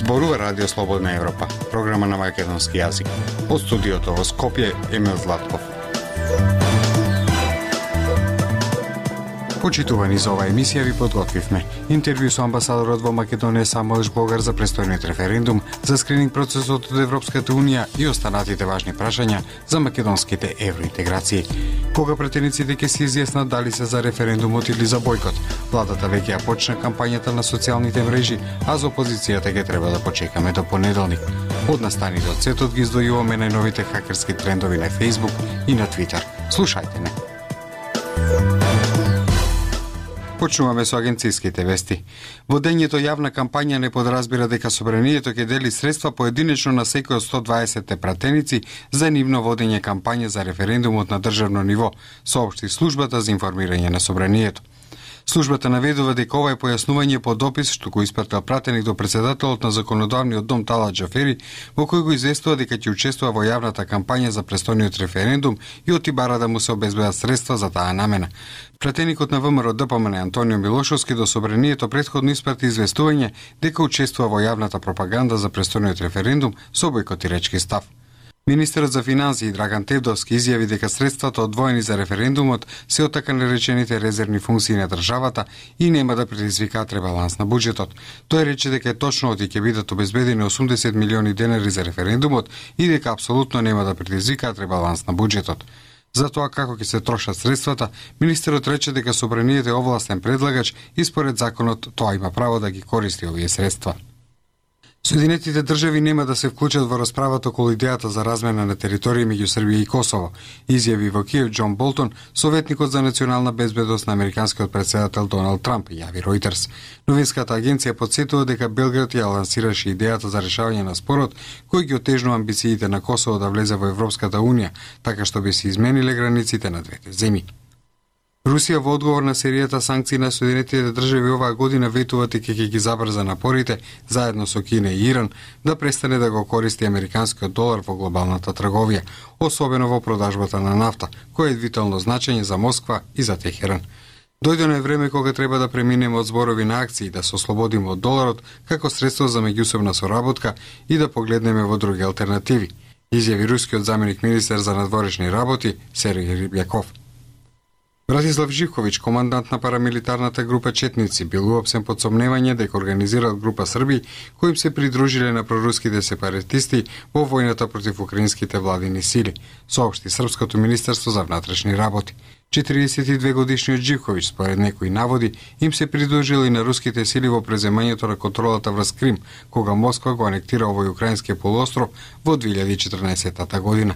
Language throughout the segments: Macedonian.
Зборува Радио Слободна Европа, програма на македонски јазик. Од студиото во Скопје, Емил Златков. Почитувани за оваа емисија ви подготвивме интервју со амбасадорот во Македонија Самуел Жбогар за престојниот референдум, за скрининг процесот од Европската Унија и останатите важни прашања за македонските евроинтеграции. Кога пратениците ќе се изјаснат дали се за референдумот или за бојкот, владата веќе ја почна кампањата на социјалните мрежи, а за опозицијата ќе треба да почекаме до понеделник. Од настаните од светот ги издвојуваме најновите хакерски трендови на Facebook и на Twitter. Слушајте не. Почнуваме со агенцијските вести. Водењето јавна кампања не подразбира дека собранието ќе дели средства поединечно на секој од 120 пратеници за нивно водење кампања за референдумот на државно ниво, соопшти службата за информирање на собранието. Службата наведува дека ова е појаснување по допис што го испратил пратеник до председателот на законодавниот дом Талат Џафери, во кој го известува дека ќе учествува во јавната кампања за престојниот референдум и оти бара да му се обезбедат средства за таа намена. Пратеникот на ВМРО ДПМН Антонио Милошовски до собранието претходно испрати известување дека учествува во јавната пропаганда за престојниот референдум со бојкотирачки став. Министерот за финансии Драган Тевдовски изјави дека средствата одвоени за референдумот се од така наречените резервни функции на државата и нема да предизвикаат ребаланс на буџетот. Тој рече дека е точно оти ќе бидат обезбедени 80 милиони денари за референдумот и дека апсолутно нема да предизвикаат ребаланс на буџетот. За тоа како ќе се трошат средствата, министерот рече дека собранието е овластен предлагач и според законот тоа има право да ги користи овие средства. Соединетите држави нема да се вклучат во расправата околу идејата за размена на територија меѓу Србија и Косово, изјави во Киев Џон Болтон, советникот за национална безбедност на американскиот председател Доналд Трамп, јави Ројтерс. Новинската агенција потсетува дека Белград ја лансираше идејата за решавање на спорот, кој ги отежнува амбициите на Косово да влезе во Европската Унија, така што би се измениле границите на двете земји. Русија во одговор на серијата санкции на Соединетите држави оваа година ветува дека ќе ги забрза напорите заедно со Кина и Иран да престане да го користи американскиот долар во глобалната трговија, особено во продажбата на нафта, кој е витално значење за Москва и за Техеран. Дојдено е време кога треба да преминеме од зборови на акции, да се ослободиме од доларот како средство за меѓусебна соработка и да погледнеме во други алтернативи, изјави рускиот заменик министер за надворешни работи Сергеј Рибјаков. Братислав Живковиќ, командант на парамилитарната група Четници, бил уапсен под сомневање дека организирал група Срби кои им се придружиле на проруските сепаратисти во војната против украинските владини сили, соопшти Српското министерство за внатрешни работи. 42 годишниот Живковиќ, според некои наводи, им се придружил и на руските сили во преземањето на контролата врз Крим, кога Москва го анектира овој украински полуостров во 2014 година.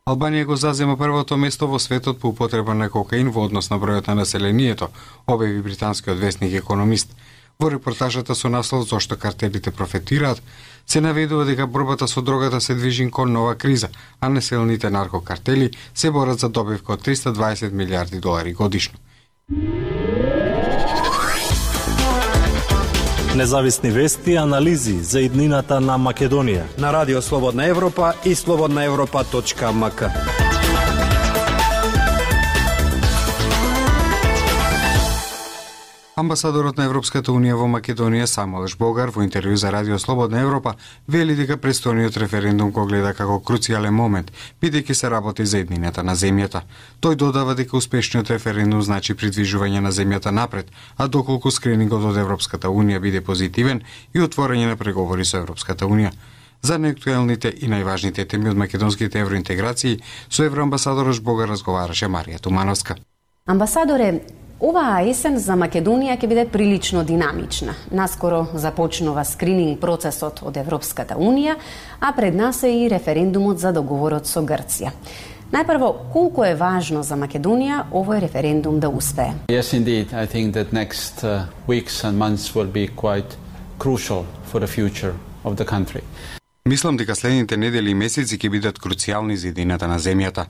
Албанија го зазема првото место во светот по употреба на кокаин во однос на бројот на населението, објави британскиот весник Економист. Во репортажата со наслов "Зошто картелите профитираат" се наведува дека борбата со дрогата се движи кон нова криза, а населените наркокартели се борат за добивка од 320 милиарди долари годишно. Независни вести и анализи за иднината на Македонија на Радио Слободна Европа и slobodnaevropa.mk. Амбасадорот на Европската Унија во Македонија Самуел Жбогар во интервју за Радио Слободна Европа вели дека престојниот референдум го гледа како круцијален момент, бидејќи се работи за еднината на земјата. Тој додава дека успешниот референдум значи придвижување на земјата напред, а доколку скринингот од Европската Унија биде позитивен и отворање на преговори со Европската Унија. За неактуелните и најважните теми од македонските евроинтеграции со евроамбасадорот Жбогар разговараше Марија Тумановска. Амбасадоре, оваа есен за Македонија ќе биде прилично динамична. Наскоро започнува скрининг процесот од Европската Унија, а пред нас е и референдумот за договорот со Грција. Најпрво, колку е важно за Македонија овој референдум да успее? Yes, indeed. I think that next weeks and months will be quite crucial for the future of the country. Мислам дека следните недели и месеци ќе бидат круцијални за едината на земјата.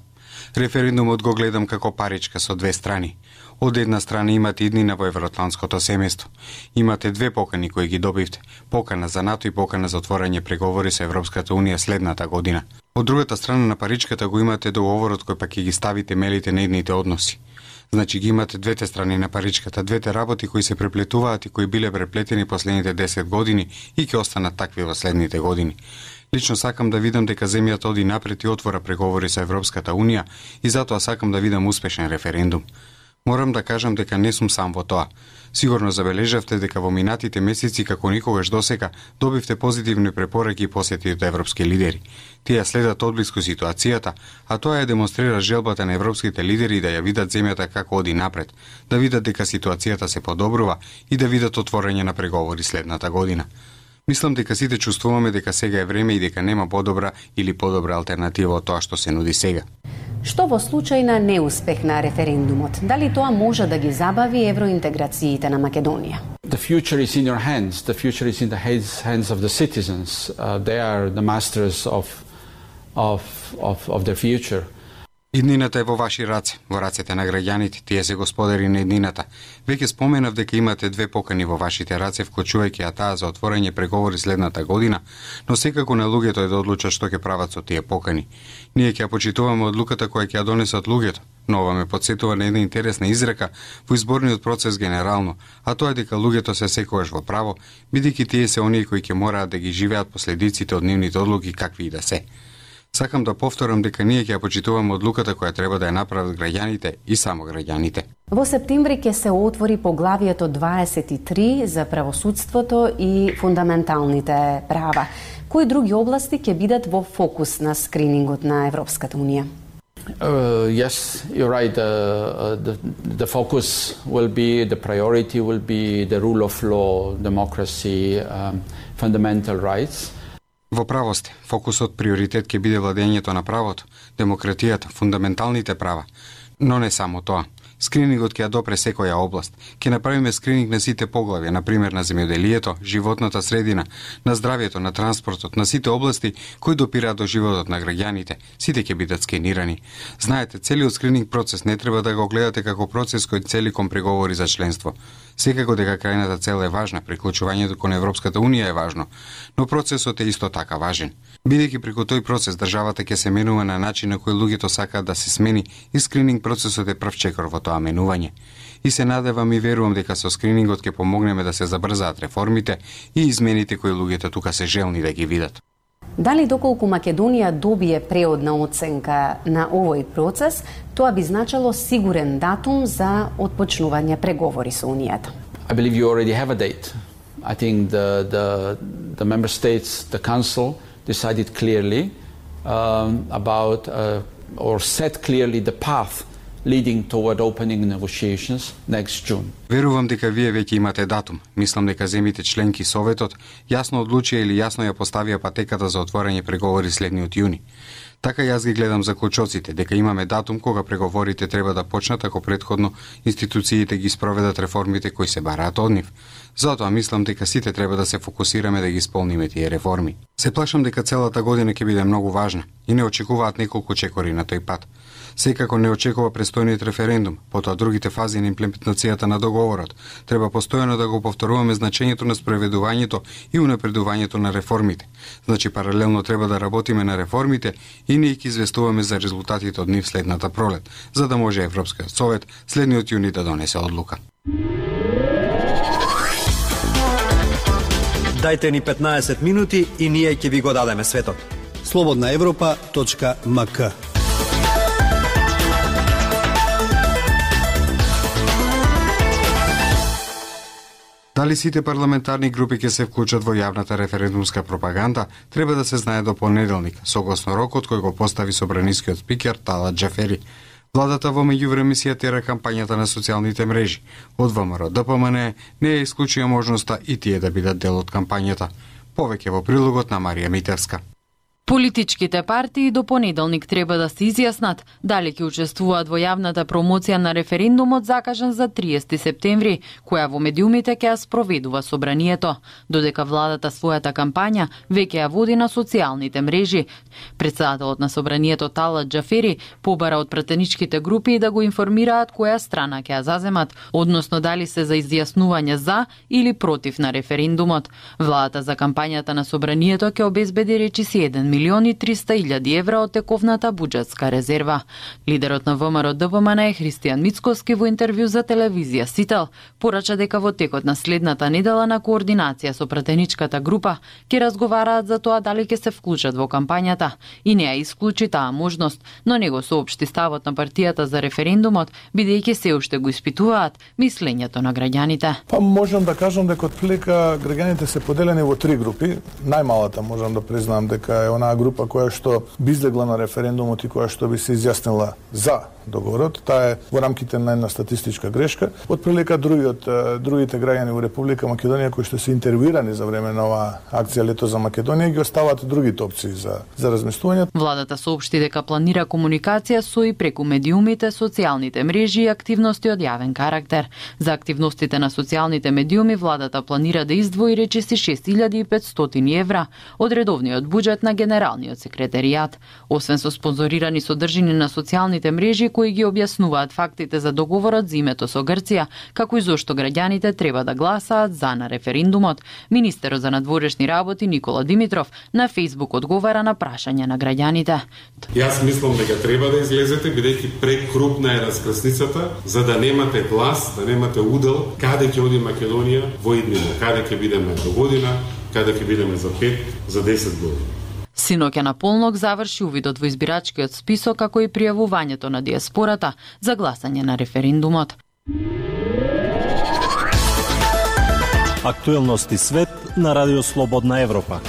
Референдумот го гледам како паричка со две страни. Од една страна имате иднина во евроатлантското семејство. Имате две покани кои ги добивте. Покана за НАТО и покана за отворање преговори со Европската Унија следната година. Од другата страна на паричката го имате договорот кој пак ќе ги стави темелите на идните односи. Значи ги имате двете страни на паричката, двете работи кои се преплетуваат и кои биле преплетени последните 10 години и ќе останат такви во следните години. Лично сакам да видам дека земјата оди напред и отвора преговори со Европската Унија и затоа сакам да видам успешен референдум. Морам да кажам дека не сум сам во тоа. Сигурно забележавте дека во минатите месеци како никогаш досега добивте позитивни препораки и посети од европски лидери. Тие следат одблиску ситуацијата, а тоа ја демонстрира желбата на европските лидери да ја видат земјата како оди напред, да видат дека ситуацијата се подобрува и да видат отворање на преговори следната година. Мислам дека сите чувствуваме дека сега е време и дека нема подобра или подобра алтернатива од тоа што се нуди сега. Што во случај на неуспех на референдумот? Дали тоа може да ги забави евроинтеграциите на Македонија? The future is in your hands. The future is in the hands of the citizens. They are the masters of their future. Иднината е во ваши раце, во рацете на граѓаните, тие се господари на иднината. Веќе споменав дека имате две покани во вашите раце, вклучувајќи ја таа за отворање преговори следната година, но секако на луѓето е да одлучат што ќе прават со тие покани. Ние ќе ја почитуваме одлуката која ќе ја донесат луѓето, но ова ме потсетува на една интересна изрека во изборниот процес генерално, а тоа е дека луѓето се секогаш во право, бидејќи тие се оние кои ќе мораат да ги живеат последиците од нивните одлуки какви и да се. Сакам да повторам дека ние ќе ја почитуваме одлуката која треба да ја направат граѓаните и само граѓаните. Во септември ќе се отвори поглавието 23 за правосудството и фундаменталните права. Кои други области ќе бидат во фокус на скринингот на Европската Унија? Yes, you're right. The focus will be, the priority will be the rule of law, democracy, fundamental rights. Во право сте, фокусот приоритет ќе биде владењето на правото, демократијата, фундаменталните права. Но не само тоа. Скринингот ќе ја допре секоја област. Ќе направиме скрининг на сите поглавја, например на земјоделието, животната средина, на здравјето, на транспортот, на сите области кои допираат до животот на граѓаните. Сите ќе бидат скенирани. Знаете, целиот скрининг процес не треба да го гледате како процес кој цели кон преговори за членство. Секако дека крајната цел е важна, приклучувањето кон Европската Унија е важно, но процесот е исто така важен. Бидејќи преку тој процес државата ќе се менува на начин на кој луѓето сакаат да се смени и скрининг процесот е прв чекор во тоа менување. И се надевам и верувам дека со скринингот ќе помогнеме да се забрзаат реформите и измените кои луѓето тука се желни да ги видат. Дали доколку Македонија добие преодна оценка на овој процес, тоа би значило сигурен датум за отпочнување преговори со Унијата? I believe you already have a date. I think the member states, the council decided clearly about or set clearly the path leading toward opening negotiations next June. Верувам дека вие веќе имате датум. Мислам дека земите членки Советот јасно одлучија или јасно ја поставија патеката за отворање преговори следниот јуни. Така јас ги гледам заклучоците, дека имаме датум кога преговорите треба да почнат ако претходно институциите ги спроведат реформите кои се бараат од нив. Затоа мислам дека сите треба да се фокусираме да ги исполниме тие реформи. Се плашам дека целата година ќе биде многу важна и не очекуваат неколку чекори на тој пат. Секако не очекува престојниот референдум, потоа другите фази на имплементацијата на договорот. Треба постојано да го повторуваме значењето на спроведувањето и унапредувањето на реформите. Значи паралелно треба да работиме на реформите и ние ќе известуваме за резултатите од нив следната пролет, за да може Европскиот совет следниот јуни да донесе одлука. Дајте ни 15 минути и ние ќе ви го дадеме светот. slobodnaevropa.mk. Дали сите парламентарни групи ќе се вклучат во јавната референдумска пропаганда, треба да се знае до понеделник, согласно рокот кој го постави собранискиот спикер Талат Џафери. Владата во меѓувреме си ја тера кампањата на социјалните мрежи. Од ВМРО ДПМН не ја исклучија можноста и тие да бидат дел од кампањата. Повеќе во прилогот на Марија Митевска. Политичките партии до понеделник треба да се изјаснат дали ќе учествуваат во јавната промоција на референдумот закажан за 30 септември, која во медиумите ќе ја спроведува собранието, додека владата својата кампања веќе ја води на социјалните мрежи. Претседателот на собранието Талат Џафери побара од пратеничките групи да го информираат која страна ќе ја заземат, односно дали се за изјаснување за или против на референдумот. Владата за кампањата на собранието ќе обезбеди речиси 1 1.300.000 евра од тековната буџетска резерва. Лидерот на ВМРО ДВМН Христијан Мицкоски во интервју за телевизија Сител порача дека во текот на следната недела на координација со пратеничката група ќе разговараат за тоа дали ќе се вклучат во кампањата и не ја исклучи таа можност, но не го соопшти ставот на партијата за референдумот, бидејќи се уште го испитуваат мислењето на граѓаните. Па можам да кажам дека отприлика граѓаните се поделени во три групи. Најмалата можам да признам дека е онаа група која што би излегла на референдумот и која што би се изјаснила за договорот. Таа е во рамките на една статистичка грешка. Отприлика другите граѓани во Република Македонија кои што се интервјуирани за време на оваа акција Лето за Македонија ги остават другите опции за размислување. Владата соопшти дека планира комуникација со и преку медиумите, социјалните мрежи и активности од јавен карактер. За активностите на социјалните медиуми владата планира да издвои речиси 6.500 евра од редовниот буџет на Генералниот секретаријат. Освен со спонзорирани содржини на социјалните мрежи кои ги објаснуваат фактите за договорот за името со Грција, како и зошто граѓаните треба да гласаат за на референдумот, министерот за надворешни работи Никола Димитров на Фејсбук одговара на прашање на граѓаните. Јас мислам дека треба да излезете, бидејќи прекрупна е раскрсницата, за да немате глас, да немате удел каде ќе оди Македонија во иднина, каде ќе бидеме до година, каде ќе бидеме за 5, за 10 години. Синоќа на полнок заврши увидот во избирачкиот список, како и пријавувањето на диаспората за гласање на референдумот. Актуелности свет на Радио Слободна Европа.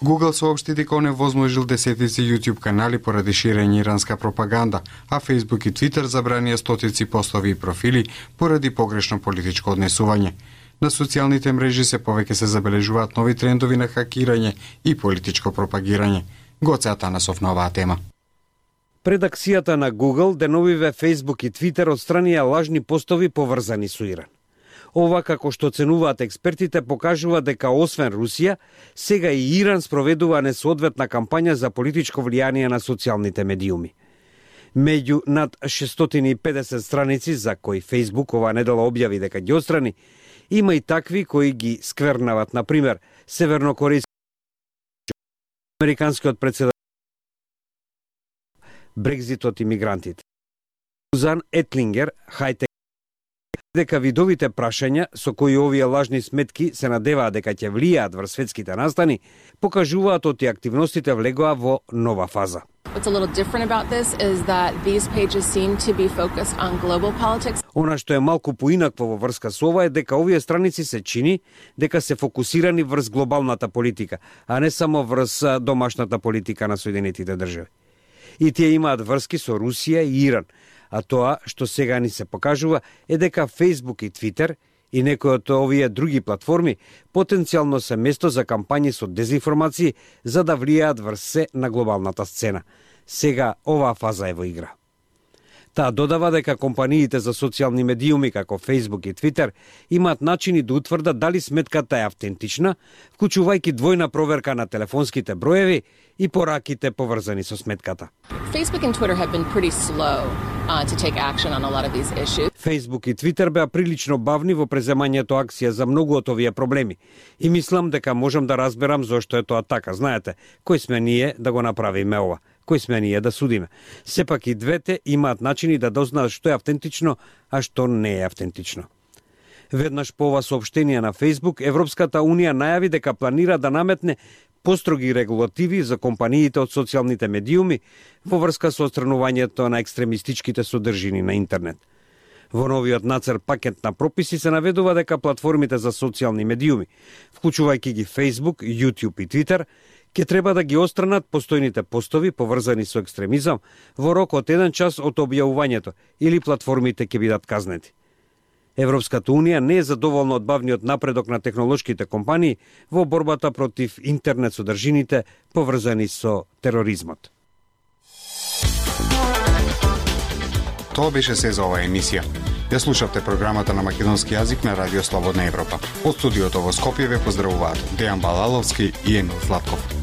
Google соопшти дека оневозможил десетици YouTube канали поради ширење иранска пропаганда, а Facebook и Twitter забранија стотици постови и профили поради погрешно политичко однесување. На социјалните мрежи се повеќе се забележуваат нови трендови на хакирање и политичко пропагирање. Гоце Атанасов на оваа тема. Пред акцијата на Google, деновиве Facebook и Twitter отстранија лажни постови поврзани со Иран. Ова, како што оценуваат експертите, покажува дека освен Русија, сега и Иран спроведува несоодветна кампања за политичко влијание на социјалните медиуми. Меѓу над 650 страници за кои Facebook оваа недела објави дека ги отстрани, има и такви кои ги сквернават, например, севернокорејски американскиот председател, Брекзитот и мигрантите. Сузан Етлингер, хајте дека видовите прашања со кои овие лажни сметки се надеваат дека ќе влијаат врз светските настани, покажуваат оти активностите влегоа во нова фаза. What's a little different about this is that these pages seem to be focused on global politics. Она што е малку поинакво во врска со ова е дека овие страници се чини дека се фокусирани врз глобалната политика, а не само врз домашната политика на Соединетите држави. И тие имаат врски со Русија и Иран, а тоа што сега ни се покажува е дека Facebook и Twitter и некои од овие други платформи потенцијално се место за кампањи со дезинформации за да влијаат врз се на глобалната сцена. Сега оваа фаза е во игра. Таа додава дека компаниите за социјални медиуми како Facebook и Twitter имаат начини да утврдат дали сметката е автентична, вклучувајќи двојна проверка на телефонските броеви и пораките поврзани со сметката. Facebook and Twitter have been pretty slow to take action on a lot of these issues. Facebook и Twitter беа прилично бавни во преземањето акција за многу од овие проблеми. И мислам дека можам да разберам зошто е тоа така. Знаете, кој сме ние да го направиме ова? Кој сме ние да судиме? Сепак и двете имаат начини да дознаат што е автентично, а што не е автентично. Веднаш по ова соопштение на Facebook, Европската Унија најави дека планира да наметне построги регулативи за компаниите од социјалните медиуми во врска со отстранувањето на екстремистичките содржини на интернет. Во новиот нацрт пакет на прописи се наведува дека платформите за социјални медиуми, вклучувајќи ги Facebook, YouTube и Twitter, ќе треба да ги отстранат постојните постови поврзани со екстремизам во рок од 1 час од објавувањето или платформите ќе бидат казнети. Европската Унија не е задоволна од бавниот напредок на технолошките компании во борбата против интернет содржините поврзани со тероризмот. Тоа беше се за оваа емисија. Ја слушавте програмата на македонски јазик на Радио Слободна Европа. Од студиото во Скопје ве поздравуваат Дејан Балаловски и Емил Златков.